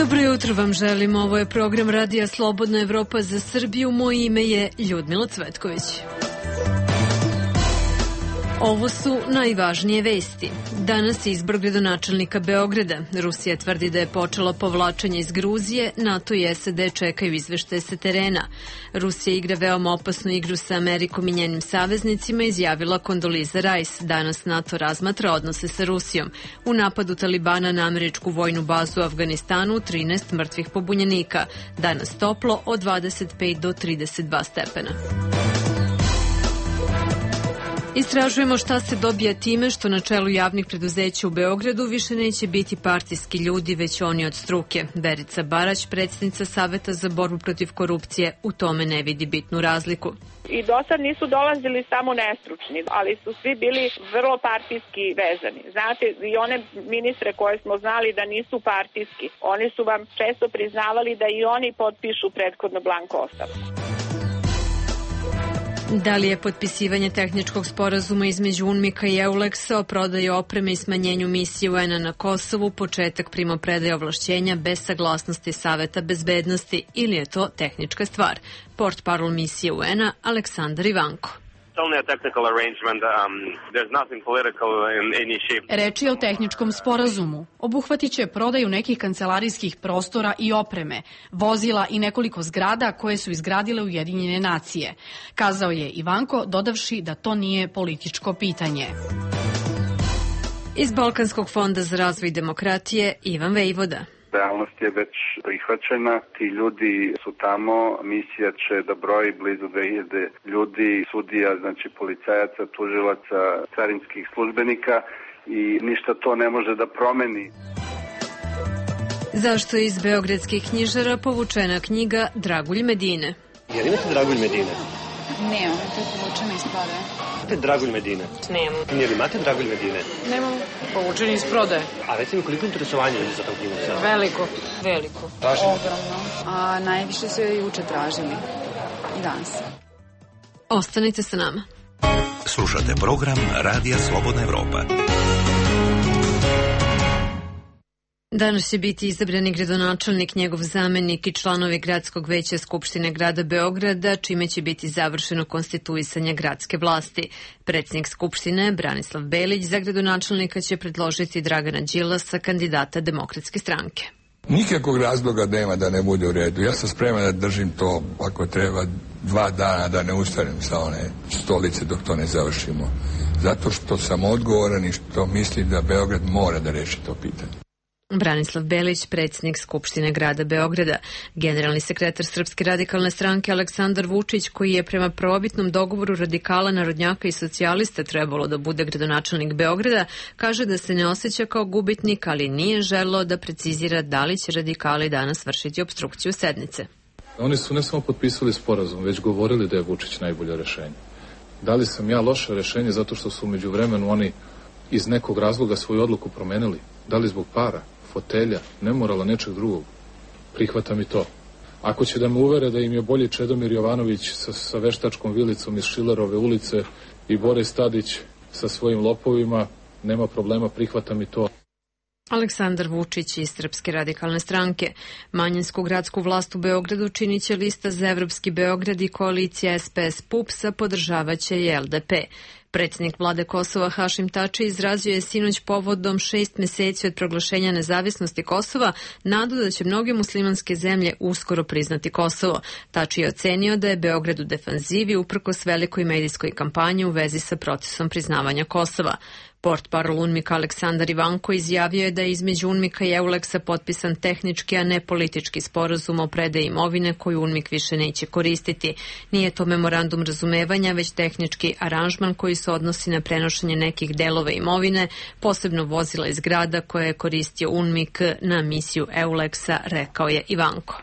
Dobro jutro vam želim, ovo je program Radija Slobodna Evropa za Srbiju, moje ime je Ljudmila Cvetković. Ovo su najvažnije vesti. Danas je izbor gradonačelnika Beograda. Rusija tvrdi da je počela povlačenje iz Gruzije, NATO i SAD čekaju izveštaje sa terena. Rusija igra veoma opasnu igru sa Amerikom i njenim saveznicima, izjavila Kondoliza Rice. Danas NATO razmatra odnose sa Rusijom. U napadu Talibana na američku vojnu bazu u Afganistanu 13 mrtvih pobunjenika. Danas toplo od 25 do 32 stepena. Istražujemo šta se dobija time što na čelu javnih preduzeća u Beogradu više neće biti partijski ljudi, već oni od struke. Verica Barać, predsjednica Saveta za borbu protiv korupcije, u tome ne vidi bitnu razliku. I do sad nisu dolazili samo nestručni, ali su svi bili vrlo partijski vezani. Znate, i one ministre koje smo znali da nisu partijski, oni su vam često priznavali da i oni potpišu prethodno blanko ostavku. Da li je potpisivanje tehničkog sporazuma između UNMIK-a i EULEX-a o prodaji opreme i smanjenju misije UN-a na Kosovu početak primopredaje ovlašćenja bez saglasnosti Saveta bezbednosti ili je to tehnička stvar? Portparol misije UN-a Aleksandar Ivanko. Reč je o tehničkom sporazumu. Obuhvatiće prodaju nekih kancelarijskih prostora i opreme, vozila i nekoliko zgrada koje su izgradile Ujedinjene nacije. Kazao je Ivanko, dodavši da to nije političko pitanje. Iz Balkanskog fonda za razvoj demokratije Ivan Vejvoda. Realnost je već prihvaćena, ti ljudi su tamo, misija će da broji blizu 2000 ljudi, sudija, znači policajaca, tužilaca, carinskih službenika i ništa to ne može da promeni. Zašto je iz beogradskih knjižara povučena knjiga Dragulj Medine? Jel imate Dragulj Medine? Nemam, to je povučena iz prodaje. Imate Dragulj Medine? Nemam. Jel imate Dragulj Medine? Nemam, povučena iz prodaje. A recimo koliko interesovanje je za tom knjigu? Veliko. Veliko. Tražimo? Ogromno. A najviše su je juče tražili. I danas. Ostanite sa nama. Slušate program Radija Slobodna Evropa. Danas će biti izabrani gradonačelnik, njegov zamenik i članovi Gradskog veća Skupštine grada Beograda, čime će biti završeno konstituisanje gradske vlasti. Predsjednik Skupštine, Branislav Belić, za gradonačelnika će predložiti Dragana Đilasa, kandidata Demokratske stranke. Nikakvog razloga nema da ne bude u redu. Ja sam spreman da držim to, ako treba, 2 dana da ne ustanem sa one stolice dok to ne završimo. Zato što sam odgovoran i što mislim da Beograd mora da reši to pitanje. Branislav Belić, predsjednik Skupštine grada Beograda. Generalni sekretar Srpske radikalne stranke Aleksandar Vučić, koji je prema prvobitnom dogovoru radikala, narodnjaka i socijalista trebalo da bude gradonačelnik Beograda, kaže da se ne osjeća kao gubitnik, ali nije želeo da precizira da li će radikali danas vršiti opstrukciju sednice. Oni su ne samo potpisali sporazum, već govorili da je Vučić najbolje rešenje. Da li sam ja loše rešenje zato što su umeđu vremenu oni iz nekog razloga svoju odluku promenili? Da li zbog para, fotelja, nemorala, nečeg drugog? Prihvatam i to. Ako će da me uvere da im je bolji Čedomir Jovanović sa veštačkom vilicom iz Šilerove ulice i Boris Tadić sa svojim lopovima, nema problema, prihvatam i to. Aleksandar Vučić iz Srpske radikalne stranke. Manjinsku gradsku vlast u Beogradu činit će lista za Evropski Beograd i koalicija SPS-PUPS-a, podržavaće i LDP. Predsjednik vlade Kosova Hašim Tači izrazio je sinoć povodom 6 meseci od proglašenja nezavisnosti Kosova nadu da će mnoge muslimanske zemlje uskoro priznati Kosovo. Tači je ocenio da je Beograd u defanzivi uprkos velikoj medijskoj kampanji u vezi sa procesom priznavanja Kosova. Portparol UNMIK Aleksandar Ivanko izjavio je da je između UNMIK-a i EULEX-a potpisan tehnički, a ne politički sporazum o predaji imovine koju UNMIK više neće koristiti. Nije to memorandum razumevanja, već tehnički aranžman koji se odnosi na prenošenje nekih delova imovine, posebno vozila iz grada koje je koristio UNMIK na misiju EULEX-a, rekao je Ivanko.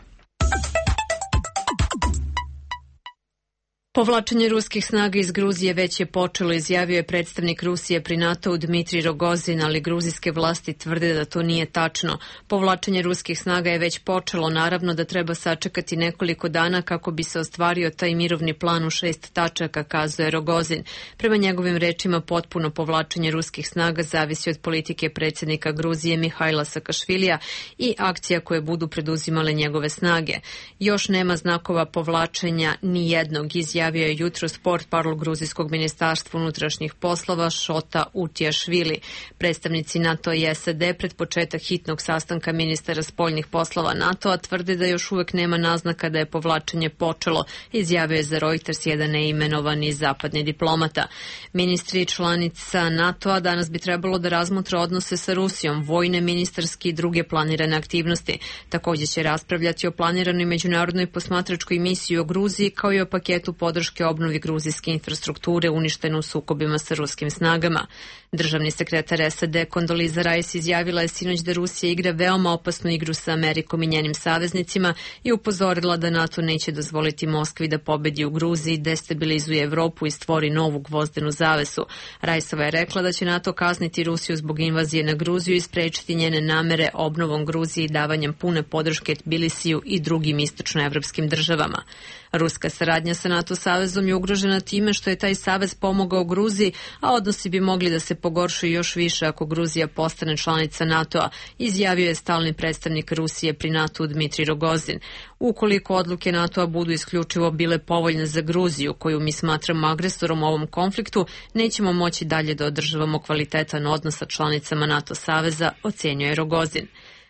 Povlačenje ruskih snaga iz Gruzije već je počelo, izjavio je predstavnik Rusije pri NATO-u Dmitrij Rogozin, ali gruzijske vlasti tvrde da to nije tačno. Povlačenje ruskih snaga je već počelo, naravno da treba sačekati nekoliko dana kako bi se ostvario taj mirovni plan u 6 tačaka, kazuje Rogozin. Prema njegovim rečima, potpuno povlačenje ruskih snaga zavisi od politike predsjednika Gruzije Mihajla Sakašvilija i akcija koje budu preduzimale njegove snage. Još nema znakova povlačenja ni jednog, izjavio je jutros portparol gruzijskog ministarstva unutrašnjih poslova Šota Utjašvili. Predstavnici NATO i SAD pred početak hitnog sastanka ministara spoljnih poslova NATO-a tvrde da još uvek nema naznaka da je povlačenje počelo, izjavio je za Reuters jedan neimenovani zapadni diplomata. Ministri članica NATO-a danas bi trebalo da razmotre odnose sa Rusijom, vojne, ministarske i druge planirane aktivnosti. Također će raspravljati o planiranoj međunarodnoj posmatračkoj misiji u Gruziji, kao i o paketu podrške obnovi gruzijske infrastrukture uništene u sukobima sa ruskim snagama. Državni sekretar SAD Kondoliza Rice izjavila je sinoć da Rusija igra veoma opasnu igru sa Amerikom i njenim saveznicima i upozorila da NATO neće dozvoliti Moskvi da pobedi u Gruziji, destabilizuje Evropu i stvori novu gvozdenu zavesu. Riceova je rekla da će NATO kazniti Rusiju zbog invazije na Gruziju i sprečiti njene namere obnovom Gruzije i davanjem pune podrške Tbilisiju i drugim istočnoevropskim državama. Ruska saradnja sa NATO savezom je ugrožena time što je taj savez pomogao Gruziji, a odnosi bi mogli da se pogoršuju još više ako Gruzija postane članica NATO-a, izjavio je stalni predstavnik Rusije pri NATO-u Dmitrij Rogozin. Ukoliko odluke NATO-a budu isključivo bile povoljne za Gruziju, koju mi smatramo agresorom u ovom konfliktu, nećemo moći dalje da održavamo kvalitetan odnos sa članicama NATO saveza, ocenjuje Rogozin.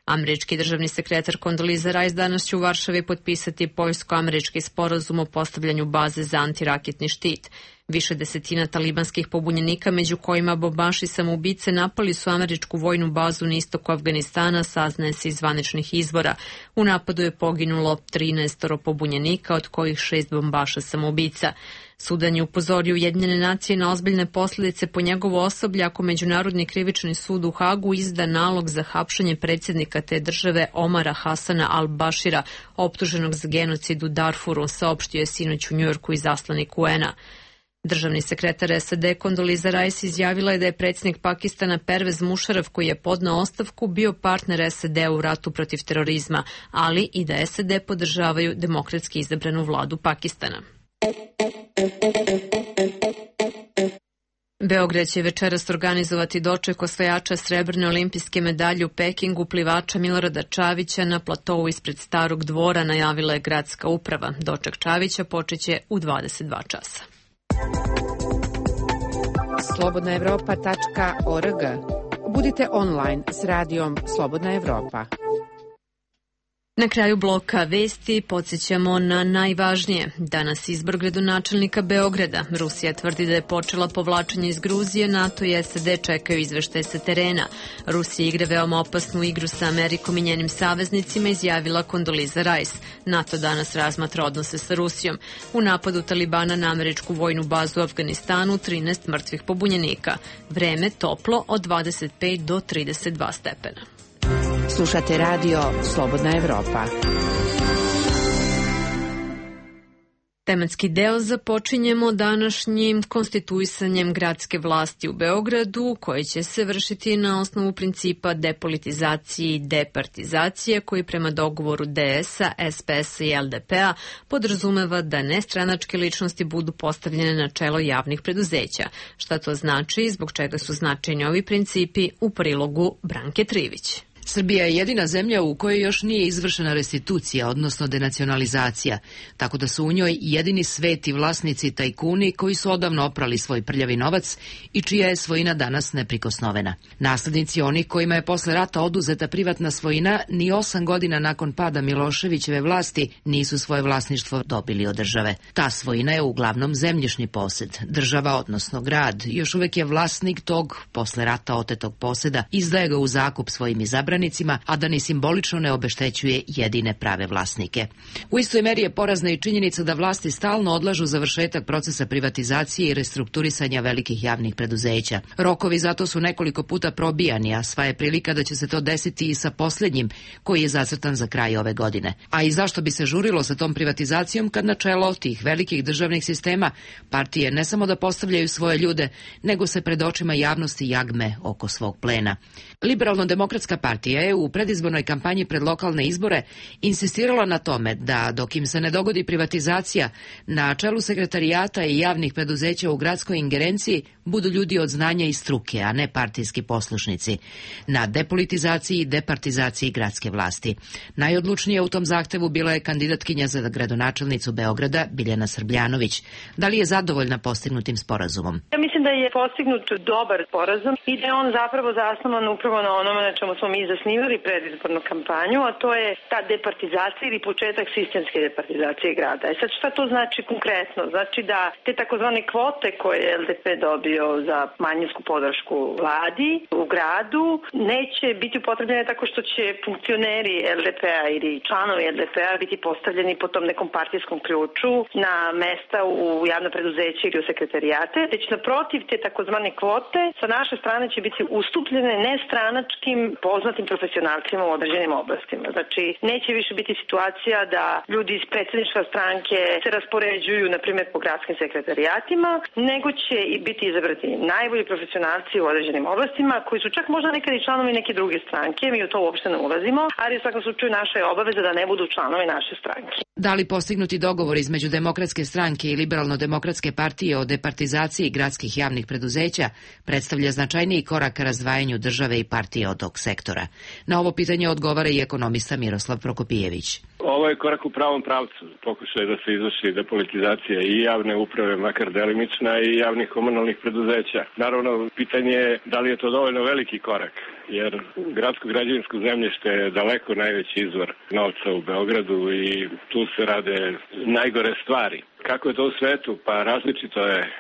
Američki državni sekretar Kondoliza Rice danas će u Varšavi potpisati poljsko-američki sporazum o postavljanju baze za antiraketni štit. Više desetina talibanskih pobunjenika, među kojima bombaši samoubice, napali su američku vojnu bazu na istoku Afganistana, saznaje se iz zvaničnih izvora. U napadu je poginulo 13 pobunjenika, od kojih 6 bombaša samoubica. Sudan je upozorio Ujedinjene nacije na ozbiljne posljedice po njegovo osoblje ako Međunarodni krivični sud u Hagu izda nalog za hapšenje predsjednika te države Omara Hasana al-Bashira, optuženog za genocid u Darfuru, saopštio je sinoć u Njujorku izaslanik UN-a. Državni sekretar SAD Kondoliza Rice izjavila je da je predsjednik Pakistana Pervez Musharraf, koji je podneo ostavku, bio partner SAD u ratu protiv terorizma, ali i da SAD podržavaju demokratski izabranu vladu Pakistana. Beograd će večeras organizovati doček osvajača srebrne olimpijske medalje u Pekingu, plivača Milorada Čavića na platovu ispred Starog dvora, najavila je gradska uprava. Doček Čavića počeće u 22 časa. slobodnaevropa.org. Budite online s radijom Slobodna Evropa. Na kraju bloka vesti podsjećamo na najvažnije. Danas izbor gradonačelnika Beograda. Rusija tvrdi da je počela povlačenje iz Gruzije, NATO i SAD čekaju izveštaje sa terena. Rusija igra veoma opasnu igru sa Amerikom i njenim saveznicima, izjavila Kondoliza Rice. NATO danas razmatra odnose sa Rusijom. U napadu Talibana na američku vojnu bazu u Afganistanu 13 mrtvih pobunjenika. Vreme toplo od 25 do 32 stepena. Slušate radio Slobodna Evropa. Tematski deo započinjemo današnjim konstituisanjem gradske vlasti u Beogradu, koje će se vršiti na osnovu principa depolitizacije i departizacije, koji prema dogovoru DS-a, SPS-a i LDP-a podrazumeva da nestranačke ličnosti budu postavljene na čelo javnih preduzeća. Šta to znači i zbog čega su značajni ovi principi, u prilogu Branke Trivić. Srbija je jedina zemlja u kojoj još nije izvršena restitucija, odnosno denacionalizacija, tako da su u njoj jedini sveti vlasnici tajkuni koji su odavno oprali svoj prljavi novac i čija je svojina danas neprikosnovena. Naslednici onih kojima je posle rata oduzeta privatna svojina ni 8 godina nakon pada Miloševićeve vlasti nisu svoje vlasništvo dobili od države. Ta svojina je uglavnom zemljišni posed. Država, odnosno grad, još uvek je vlasnik tog posle rata otetog poseda, izdaje ga u zakup svojim izabranim obranicima, a da ni simbolično ne obeštećuje jedine prave vlasnike. U istoj meri je porazna i činjenica da vlasti stalno odlažu završetak procesa privatizacije i restrukturisanja velikih javnih preduzeća. Rokovi zato su nekoliko puta probijani, a sva je prilika da će se to desiti i sa posljednjim, koji je zacrtan za kraj ove godine. A i zašto bi se žurilo sa tom privatizacijom kad na čelo tih velikih državnih sistema partije ne samo da postavljaju svoje ljude, nego se pred očima javnosti jagme oko svog plena. Liberalno-demokratska partija je u predizbornoj kampanji pred lokalne izbore insistirala na tome da dok im se ne dogodi privatizacija, na čelu sekretarijata i javnih preduzeća u gradskoj ingerenciji budu ljudi od znanja i struke, a ne partijski poslušnici. Na depolitizaciji i departizaciji gradske vlasti. Najodlučnija u tom zahtevu bila je kandidatkinja za gradonačelnicu Beograda Biljana Srbljanović. Da li je zadovoljna postignutim sporazumom? Ja mislim da je postignut dobar sporazum i da je on zapravo zasnovan upravo na onome na čemu smo mi zasnivali predizbornu kampanju, a to je ta departizacija ili početak sistemske departizacije grada. Sad šta to znači konkretno? Znači da te takozvane kvote koje je LDP dobio za manjinsku podršku vladi u gradu neće biti upotrebljene tako što će funkcioneri LDP-a ili članovi LDP-a biti postavljeni po tom nekom partijskom ključu na mesta u javno preduzeće ili u sekretarijate, već naprotiv te takozvane kvote sa naše strane će biti ustupljene nestranačkim poznatim profesionalcima u određenim oblastima. Znači, neće više biti situacija da ljudi iz predsjedništva stranke se raspoređuju, na primjer, po gradskim sekretarijatima, nego će i biti izabrati najbolji profesionalci u određenim oblastima, koji su čak možda nekad i članovi neke druge stranke, mi u to uopšte ne ulazimo, ali u svakom slučaju naša je obaveza da ne budu članovi naše stranke. Da li postignuti dogovor između Demokratske stranke i Liberalno-demokratske partije o departizaciji gradskih javnih preduzeća predstavlja značajniji korak ka razdvajanju države i partije od tog sektora? Na ovo pitanje odgovara i ekonomista Miroslav Prokopijević. Ovo je korak u pravom pravcu. Pokušaj da se izvrši depolitizacija i javne uprave, makar delimična, i javnih komunalnih preduzeća. Naravno, pitanje je da li je to dovoljno veliki korak, jer gradsko građevinsko zemljište je daleko najveći izvor novca u Beogradu i tu se rade najgore stvari. Kako je to u svetu? Pa različito je.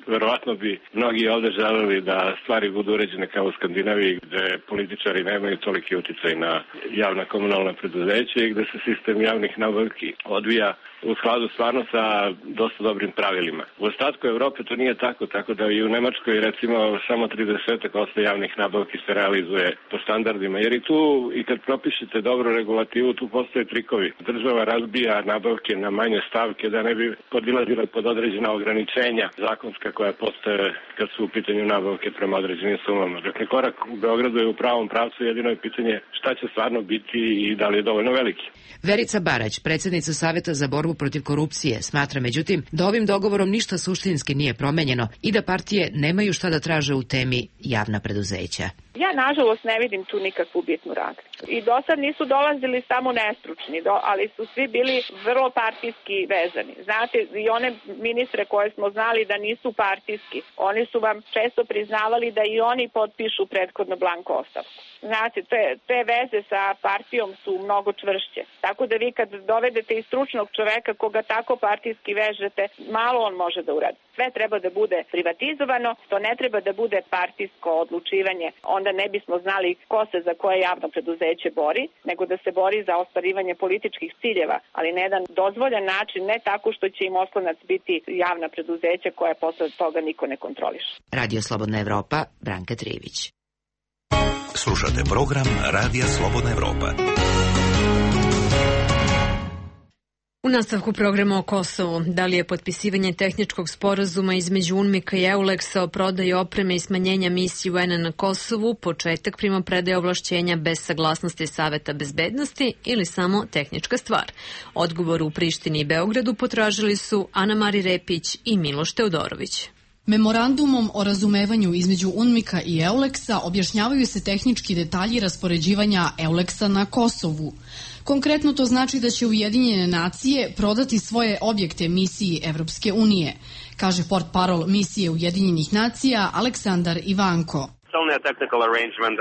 Verovatno bi mnogi ovde želeli da stvari budu uređene kao u Skandinaviji, gde političari nemaju toliki uticaj na javna komunalna preduzeća i gde se sistem javnih nabavki odvija u skladu stvarno sa dosta dobrim pravilima. U ostatku Evrope to nije tako da i u Nemačkoj recimo samo 30% javnih nabavki se realizuje po standardima, jer i tu i kad propišete dobru regulativu, tu postoje trikovi. Država razbija nabavke na manje stavke da ne bi podilazila pod određena ograničenja zakonska koja postoje kad su u pitanju nabavke prema određenim sumama. Dakle, korak u Beogradu je u pravom pravcu, jedino je pitanje šta će stvarno biti i da li je dovoljno veliki. Verica Barać, predsjednica Saveta za borbu protiv korupcije, smatra međutim da ovim dogovorom ništa suštinski nije promenjeno i da partije nemaju šta da traže u temi javna preduzeća. Ja, nažalost, ne vidim tu nikakvu bitnu razliku. I do sad nisu dolazili samo nestručni, ali su svi bili vrlo partijski vezani. Znate, i one ministre koje smo znali da nisu partijski, oni su vam često priznavali da i oni potpišu prethodno blanko ostavku. Znate, te veze sa partijom su mnogo čvršće. Tako da vi kad dovedete i stručnog čoveka koga tako partijski vežete, malo on može da uradi. Sve treba da bude privatizovano, to ne treba da bude partijsko odlučivanje. Onda ne bismo znali ko se za koje javno preduzeće bori, nego da se bori za ostvarivanje političkih ciljeva, ali na jedan dozvoljan način, ne tako što će im oslonac biti javna preduzeća koja posle toga niko ne kontroliše. Radio Slobodna Evropa, Branka Trijević. Slušate program Radija Slobodna Evropa. U nastavku programa o Kosovu, da li je potpisivanje tehničkog sporazuma između UNMIK-a i EULEX-a o prodaji opreme i smanjenja misije UN-a na Kosovu početak primopredaje ovlašćenja bez saglasnosti Saveta bezbednosti ili samo tehnička stvar? Odgovor u Prištini i Beogradu potražili su Ana Mari Repić i Miloš Teodorović. Memorandumom o razumevanju između UNMIK-a i EULEX-a objašnjavaju se tehnički detalji raspoređivanja EULEX-a na Kosovu. Konkretno to znači da će Ujedinjene nacije prodati svoje objekte misiji Evropske unije, kaže portparol misije Ujedinjenih nacija Aleksandar Ivanko. It's only a technical arrangement.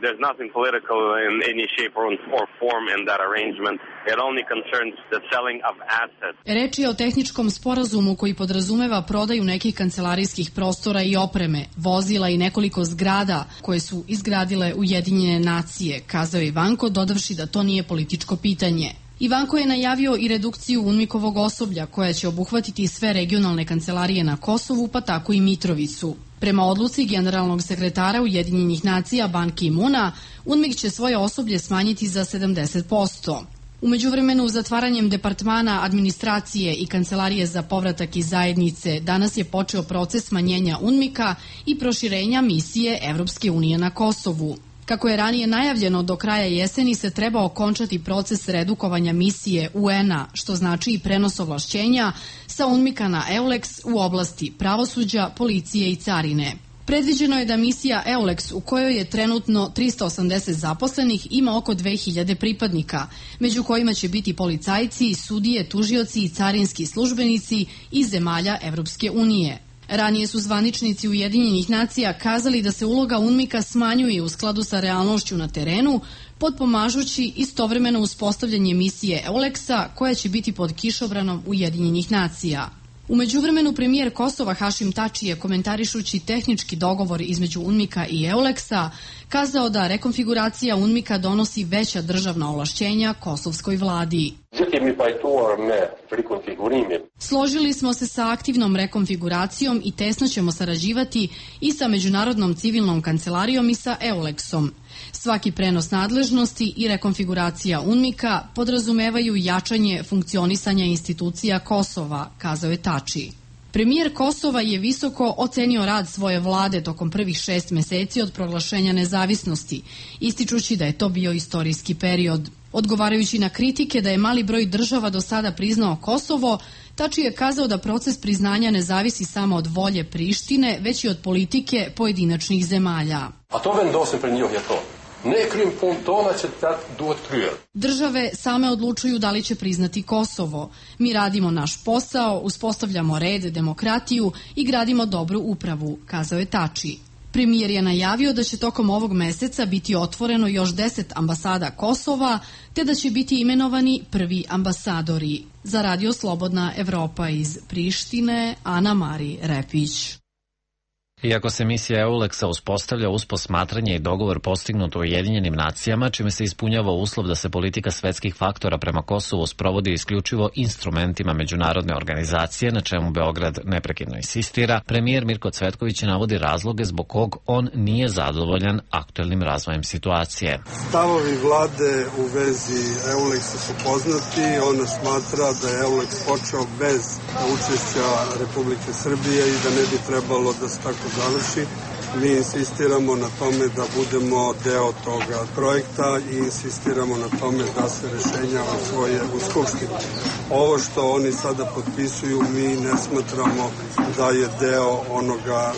There's nothing political in any shape or form in that arrangement. It only concerns the selling of assets. Reč je o tehničkom sporazumu koji podrazumeva prodaju nekih kancelarijskih prostora i opreme, vozila i nekoliko zgrada koje su izgradile Ujedinjene nacije, kazao je Ivanko, dodavši da to nije političko pitanje. Ivanko je najavio i redukciju UNMIK-ovog osoblja koja će obuhvatiti sve regionalne kancelarije na Kosovu, pa tako i Mitrovicu. Prema odluci generalnog sekretara Ujedinjenih nacija Ban Ki-moona, UNMIK će svoje osoblje smanjiti za 70%. U međuvremenu, zatvaranjem departmana administracije i kancelarije za povratak iz zajednice, danas je počeo proces smanjenja UNMIK-a i proširenja misije Evropske unije na Kosovu. Kako je ranije najavljeno, do kraja jeseni se treba okončati proces redukovanja misije UN-a, što znači i prenos ovlašćenja sa UNMIK-a na EULEX u oblasti pravosuđa, policije i carine. Predviđeno je da misija EULEX, u kojoj je trenutno 380 zaposlenih, ima oko 2000 pripadnika, među kojima će biti policajci, sudije, tužioci i carinski službenici iz zemalja Evropske unije. Ranije su zvaničnici Ujedinjenih nacija kazali da se uloga UNMIK-a smanjuje u skladu sa realnošću na terenu, potpomažući istovremeno uspostavljanje misije EULEX-a koja će biti pod kišobranom Ujedinjenih nacija. U međuvremenu premijer Kosova Hašim Tači je, komentarišući tehnički dogovor između UNMIK-a i EULEX-a, kazao da rekonfiguracija UNMIK-a donosi veća državna ovlašćenja kosovskoj vladi. Složili smo se sa aktivnom rekonfiguracijom i tesno ćemo sarađivati i sa Međunarodnom civilnom kancelarijom i sa EULEX-om. Svaki prenos nadležnosti i rekonfiguracija UNMIK-a podrazumevaju jačanje funkcionisanja institucija Kosova, kazao je Tači. Premijer Kosova je visoko ocenio rad svoje vlade tokom prvih 6 meseci od proglašenja nezavisnosti, ističući da je to bio istorijski period. Odgovarajući na kritike da je mali broj država do sada priznao Kosovo, Tači je kazao da proces priznanja ne zavisi samo od volje Prištine, već i od politike pojedinačnih zemalja. A to vendose pre njih je to. Države same odlučuju da li će priznati Kosovo. Mi radimo naš posao, uspostavljamo red, demokratiju i gradimo dobru upravu, kazao je Tači. Premijer je najavio da će tokom ovog meseca biti otvoreno još 10 ambasada Kosova, te da će biti imenovani prvi ambasadori. Za Radio Slobodna Evropa iz Prištine, Ana Mari Repić. Iako se misija EULEX-a uspostavlja uz posmatranje i dogovor postignut u Ujedinjenim nacijama, čime se ispunjava uslov da se politika svetskih faktora prema Kosovu sprovodi isključivo instrumentima međunarodne organizacije, na čemu Beograd neprekidno insistira, premijer Mirko Cvetković navodi razloge zbog kog on nije zadovoljan aktuelnim razvojem situacije. Stavovi vlade u vezi EULEX-a su poznati. Ona smatra da je EULEX počeo bez učešća Republike Srbije i da ne bi trebalo da se tako završi. Mi insistiramo na tome da budemo deo toga projekta i insistiramo na tome da se rešenja usvoje u Skupštini. Ovo što oni sada potpisuju mi ne smatramo da je deo onoga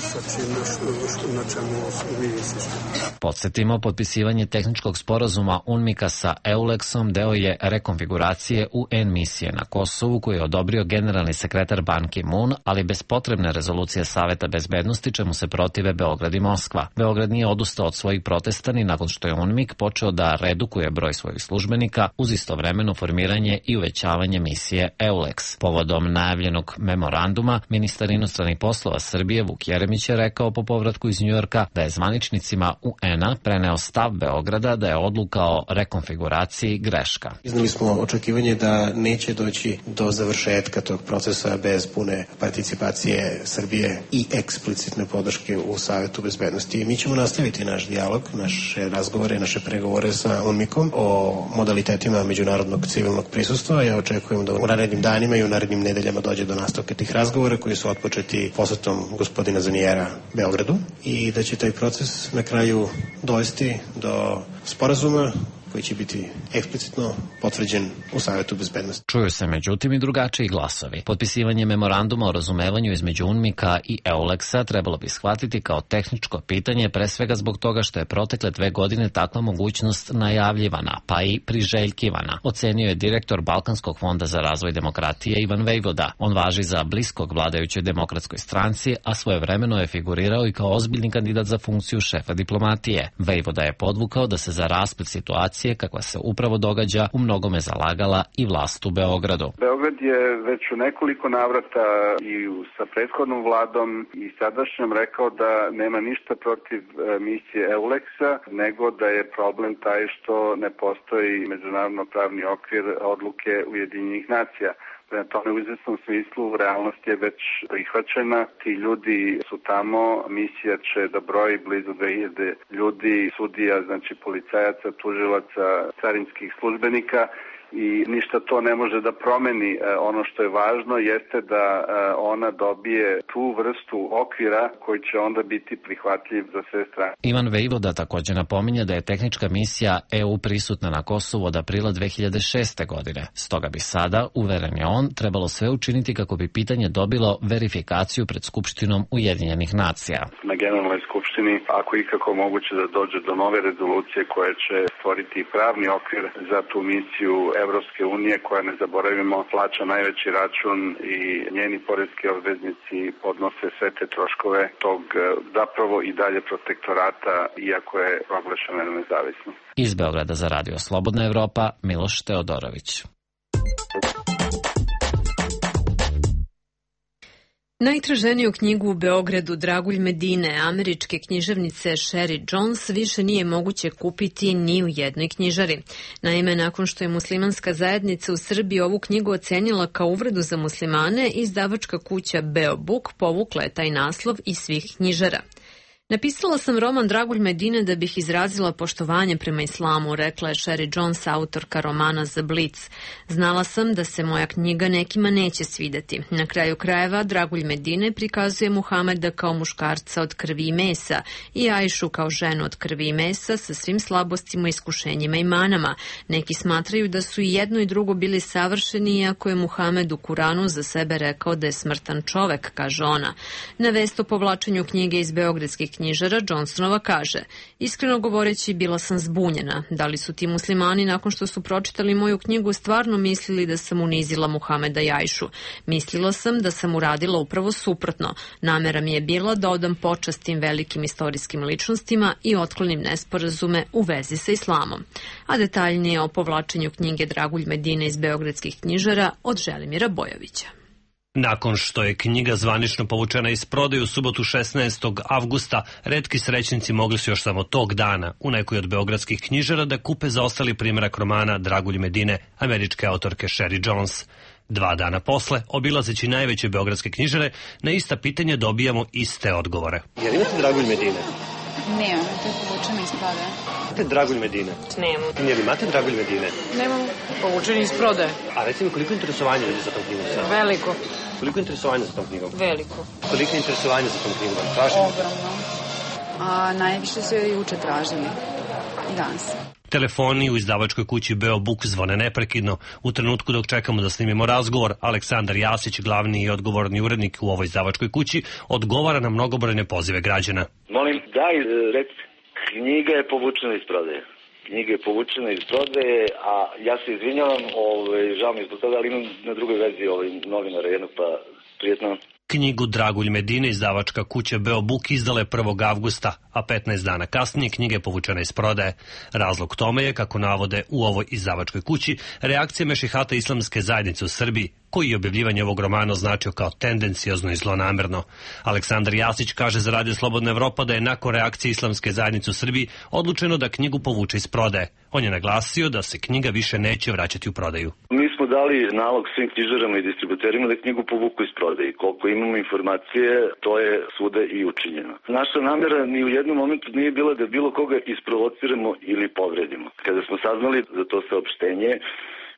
na čemu mi insistiramo. Podsjetimo, potpisivanje tehničkog sporazuma UNMIK-a sa EULEX-om deo je rekonfiguracije UN misije na Kosovu koju je odobrio generalni sekretar Ban Ki-moon, ali bez potrebne rezolucije Saveta bezbednosti, čemu se protive Beograd i Moskva. Beograd nije odustao od svojih protesta ni nakon što je UNMIK počeo da redukuje broj svojih službenika uz istovremeno formiranje i uvećavanje misije EULEX. Povodom najavljenog memoranduma, ministar inostranih poslova Srbije Vuk Jeremić je rekao po povratku iz Njujorka da je zvaničnicima UN-a preneo stav Beograda da je odluka o rekonfiguraciji greška. Iznali smo očekivanje da neće doći do završetka tog procesa bez pune participacije Srbije i eksplicitne podrške u Savetu bezbednosti. Mi ćemo nastaviti naš dijalog, naše razgovore, naše pregovore sa UNMIK-om o modalitetima međunarodnog civilnog prisustva. Ja očekujem da u narednim danima i u narednim nedeljama dođe do nastavka tih razgovora koji su otpočeti posetom gospodina Zanijera Beogradu i da će taj proces na kraju dovesti do sporazuma koji će biti eksplicitno potvrđen u Savetu bezbednosti. Čuju se međutim i drugačiji glasovi. Potpisivanje memoranduma o razumevanju između UNMIK-a i EULEX-a trebalo bi shvatiti kao tehničko pitanje, pre svega zbog toga što je protekle 2 godine takva mogućnost najavljivana, pa i priželjkivana, ocenio je direktor Balkanskog fonda za razvoj demokratije Ivan Vejvoda. On važi za bliskog vladajućoj demokratskoj stranci, a svojevremeno je figurirao i kao ozbiljni kandidat za funkciju šefa diplomatije. Vejvoda je podvukao da se za rasplet situacije, kakva se upravo događa, u mnogome zalagala i vlast u Beogradu. Beograd je već u nekoliko navrata i sa prethodnom vladom i sadašnjom rekao da nema ništa protiv misije EULEX-a, nego da je problem taj što ne postoji međunarodno pravni okvir odluke Ujedinjenih nacija. Prema tome, u izvesnom smislu, realnost je već prihvaćena. Ti ljudi su tamo, misija će da broji blizu 2000 ljudi, sudija, znači policajaca, tužilaca, carinskih službenika, i ništa to ne može da promeni. Ono što je važno jeste da ona dobije tu vrstu okvira koji će onda biti prihvatljiv za sve strane. Ivan Vejvoda također napominje da je tehnička misija EU prisutna na Kosovu od aprila 2006. godine. Stoga bi sada, uveren je on, trebalo sve učiniti kako bi pitanje dobilo verifikaciju pred Skupštinom Ujedinjenih nacija. Na Generalnoj skupštini, ako ikako moguće da dođe do nove rezolucije koja će stvoriti pravni okvir za tu misiju Evropske unije, koja, ne zaboravimo, plaća najveći račun i njeni poreski obveznici podnose sve te troškove tog zapravo i dalje protektorata, iako je proglašena nezavisno. Iz Beograda za Radio Slobodna Evropa, Miloš Teodorović. Najtraženiju knjigu u Beogradu Dragulj Medine, američke književnice Sherry Jones, više nije moguće kupiti ni u jednoj knjižari. Naime, nakon što je muslimanska zajednica u Srbiji ovu knjigu ocenila kao uvredu za muslimane, izdavačka kuća Beobook povukla je taj naslov iz svih knjižara. Napisala sam roman Dragulj Medine da bih izrazila poštovanje prema islamu, rekla je Sherry Jones, autorka romana za Blitz. Znala sam da se moja knjiga nekima neće svideti. Na kraju krajeva, Dragulj Medine prikazuje Muhameda kao muškarca od krvi i mesa i Ajšu kao ženu od krvi i mesa sa svim slabostima, iskušenjima i manama. Neki smatraju da su i jedno i drugo bili savršeni, iako je Muhamed u Kuranu za sebe rekao da je smrtan čovek, kaže ona. Na vest o povlačenju knjige iz beogradskih knjižara, Johnsonova kaže: iskreno govoreći, bila sam zbunjena. Da li su ti muslimani nakon što su pročitali moju knjigu stvarno mislili da sam unizila Muhameda i Ajšu? Mislila sam da sam uradila upravo suprotno. Namera mi je bila da odam počast tim velikim istorijskim ličnostima i otklonim nesporazume u vezi sa islamom. A detaljnije o povlačenju knjige Dragulj Medine iz beogradskih knjižara od Želimira Bojovića. Nakon što je knjiga zvanično povučena iz prodaje u subotu 16. avgusta, retki srećnici mogli su još samo tog dana u nekoj od beogradskih knjižara da kupe zaostali primjerak romana Dragulj Medine američke autorke Sherry Jones. 2 dana posle, obilazeći najveće beogradske knjižare, na ista pitanja dobijamo iste odgovore. Jel imate Dragulj Medine? Nemam, to je povučeno iz prodaje. Imate Dragulj Medine? Nemam. Jel imate Dragulj Medine? Nemam, povučeno iz prodaje. A recimo, koliko interesovanja ljudi za tom knjigom sad? Veliko. Koliko interesovanja za tom knjigom? Veliko. Koliko interesovanja za tom knjigom vam tražimo? Ogromno. A najviše su je juče tražili. I danas. Telefoni u izdavačkoj kući Beobook zvone neprekidno. U trenutku dok čekamo da snimimo razgovor, Aleksandar Jasić, glavni i odgovorni urednik u ovoj izdavačkoj kući, odgovara na mnogobrojne pozive građana. Molim, recite, knjiga je povučena iz prodaje. Knjiga je povučena iz prodaje, a ja se izvinjavam, žao mi je zbog toga, ali imam na drugoj verziji novinara jednog, pa prijetno. Knjigu Dragulj Medine izdavačka kuća Beobook izdala je 1. avgusta, a 15 dana kasnije knjiga je povučena iz prodaje. Razlog tome je, kako navode u ovoj izdavačkoj kući, reakcija mešihata islamske zajednice u Srbiji, koji je objavljivanje ovog romana označio kao tendencijozno i zlonamerno. Aleksandar Jasić kaže za Radio Slobodna Evropa da je nakon reakcije islamske zajednice u Srbiji odlučeno da knjigu povuče iz prodaje. On je naglasio da se knjiga više neće vraćati u prodaju. Mi smo dali nalog svim knjižarama i distributerima da knjigu povuku iz prodaje. Koliko imamo informacije, to je svuda i učinjeno. Naša namjera ni u jednom momentu nije bila da bilo koga isprovociramo ili povredimo. Kada smo saznali za to saopštenje,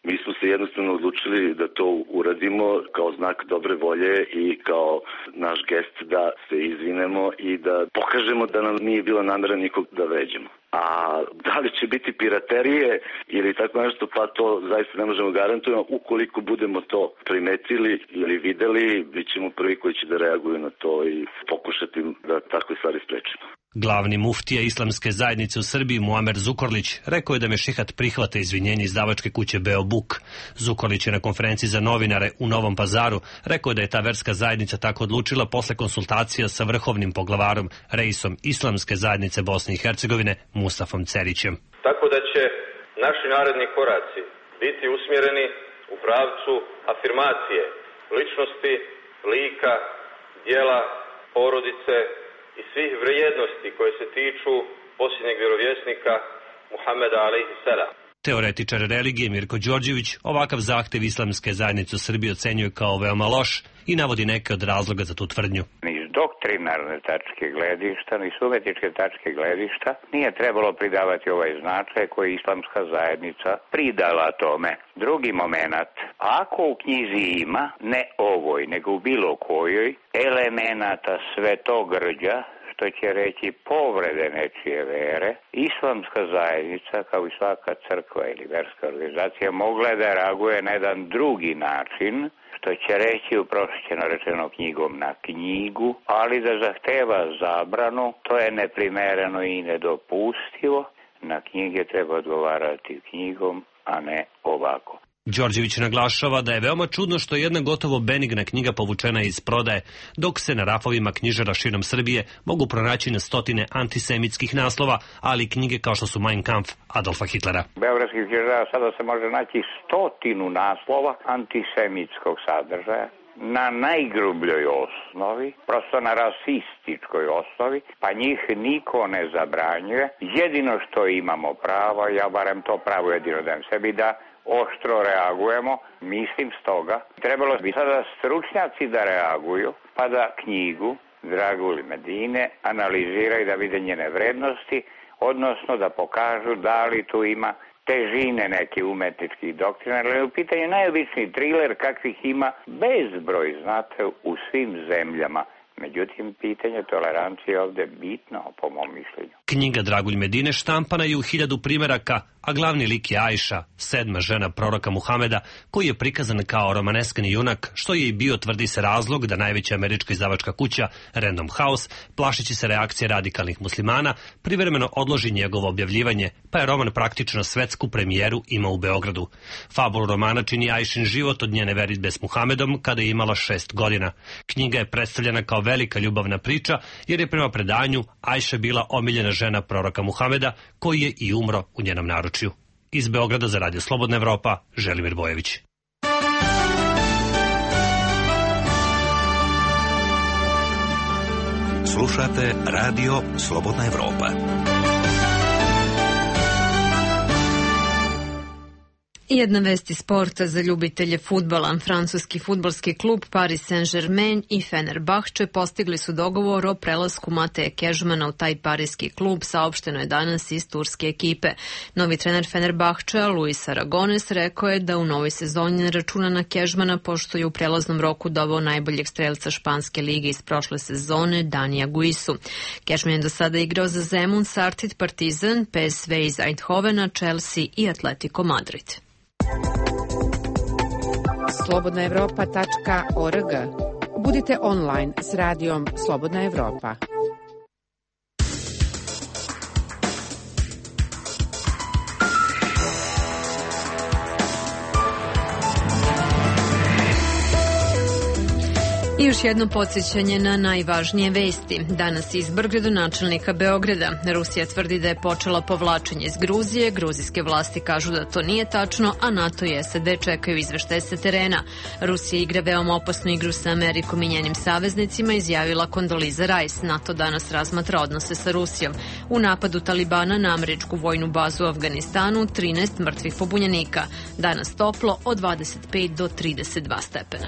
Mi smo se jednostavno odlučili da to uradimo kao znak dobre volje i kao naš gest da se izvinemo i da pokažemo da nam nije bila namera nikog da vređamo. A da li će biti piraterije ili tako nešto, pa to zaista ne možemo garantovati. Ukoliko budemo to primetili ili videli, bit ćemo prvi koji će da reaguju na to i pokušati da takve stvari sprečimo. Glavni muftija islamske zajednice u Srbiji Muamer Zukorlić rekao je da Mešihat prihvata izvinjenje izdavačke kuće Beo Buk. Zukorlić je na konferenciji za novinare u Novom Pazaru rekao da je ta verska zajednica tako odlučila posle konsultacija sa vrhovnim poglavarom, reisom islamske zajednice Bosne i Hercegovine Mustafom Cerićem. Tako da će naši naredni koraci biti usmjereni u pravcu afirmacije ličnosti, lika, djela, porodice i svih vrijednosti koje se tiču posljednjeg vjerovjesnika Muhameda alejhi selam. Teoretičar religije Mirko Đorđević ovakav zahtev islamske zajednice u Srbiji ocenjuje kao veoma loš i navodi neke od razloga za tu tvrdnju. Ni iz doktrinarne tačke gledišta, ni iz umetničke tačke gledišta nije trebalo pridavati ovaj značaj koji je islamska zajednica pridala tome. Drugi moment, ako u knjizi ima, ne ovoj, nego u bilo kojoj, elemenata svetogrđa, što će reći povrede nečije vere, islamska zajednica, kao i svaka crkva ili verska organizacija, mogla je da reaguje na jedan drugi način, što će reći uprošćeno rečeno knjigom na knjigu, ali da zahteva zabranu, to je neprimereno i nedopustivo. Na knjige treba odgovarati knjigom, a ne ovako. Đorđević naglašava da je veoma čudno što je jedna gotovo benigna knjiga povučena iz prodaje, dok se na rafovima knjižara širom Srbije mogu pronaći na stotine antisemitskih naslova, ali knjige kao što su Mein Kampf Adolfa Hitlera. Beogradskih knjižara sada se može naći 100 naslova antisemitskog sadržaja na najgrubljoj osnovi, prosto na rasističkoj osnovi, pa njih niko ne zabranjuje. Jedino što imamo pravo, ja barem to pravo jedino dajem sebi, da oštro reagujemo, mislim stoga. Trebalo bi sada stručnjaci da reaguju, pa da knjigu Dragulj Medine analiziraju da vide njene vrednosti, odnosno da pokažu da li tu ima težine neke umetničkih doktrina, ali u pitanju najobičniji triler kakvih ima bezbroj, znate, u svim zemljama. Međutim, pitanje tolerancije je ovde bitno, po mom mišljenju. Knjiga Dragulj Medine štampana je u 1000 primeraka, a glavni lik je Ajša, 7. žena proroka Muhameda, koji je prikazan kao romaneskani junak, što je i bio, tvrdi se, razlog da najveća američka izdavačka kuća Random House, plašeći se reakcije radikalnih muslimana, privremeno odloži njegovo objavljivanje, pa je roman praktično svetsku premijeru imao u Beogradu. Fabulu romana čini Ajšin život od njene veritbe s Muhamedom kada je imala 6 godina. Knjiga je predstavljena kao velika ljubavna priča, jer je prema predanju Ajša bila omiljena žena proroka Muhameda, koji je i umro u njenom naručju. Iz Beograda za Radio Slobodna Evropa, Želimir Bojević. Slušate Radio Slobodna Evropa. Jedna vest iz sporta za ljubitelje fudbala. Francuski fudbalski klub Paris Saint-Germain i Fenerbahče postigli su dogovor o prelasku Mateja Kežmana u taj parijski klub, saopšteno je danas iz turske ekipe. Novi trener Fenerbahča, Luis Aragones, rekao je da u novoj sezoni ne računa na Kežmana, pošto je u prelaznom roku doveo najboljeg strelca španske lige iz prošle sezone, Danija Guisu. Kežman je do sada igrao za Zemun, Sartid, Partizan, PSV iz Eindhovena, Chelsea i Atletico Madrid. slobodnaevropa.org. Budite online s radijom Slobodna Evropa. I još jedno podsjećanje na najvažnije vesti. Danas izbor gradonačelnika Beograda. Rusija tvrdi da je počela povlačenje iz Gruzije. Gruzijske vlasti kažu da to nije tačno, a NATO i SAD čekaju izveštaje sa terena. Rusija igra veoma opasnu igru sa Amerikom i njenim saveznicima, izjavila Kondoliza Rice. NATO danas razmatra odnose sa Rusijom. U napadu Talibana na američku vojnu bazu u Afganistanu 13 mrtvih pobunjenika. Danas toplo od 25 do 32 stepena.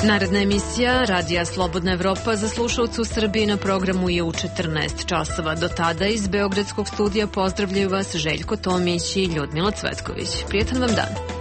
Naredna emisija Radija Slobodna Evropa za slušalce u Srbiji na programu je u 14 časova. Do tada iz Beogradskog studija pozdravljaju vas Željko Tomić i Ljudmila Cvetković. Prijetan vam dan.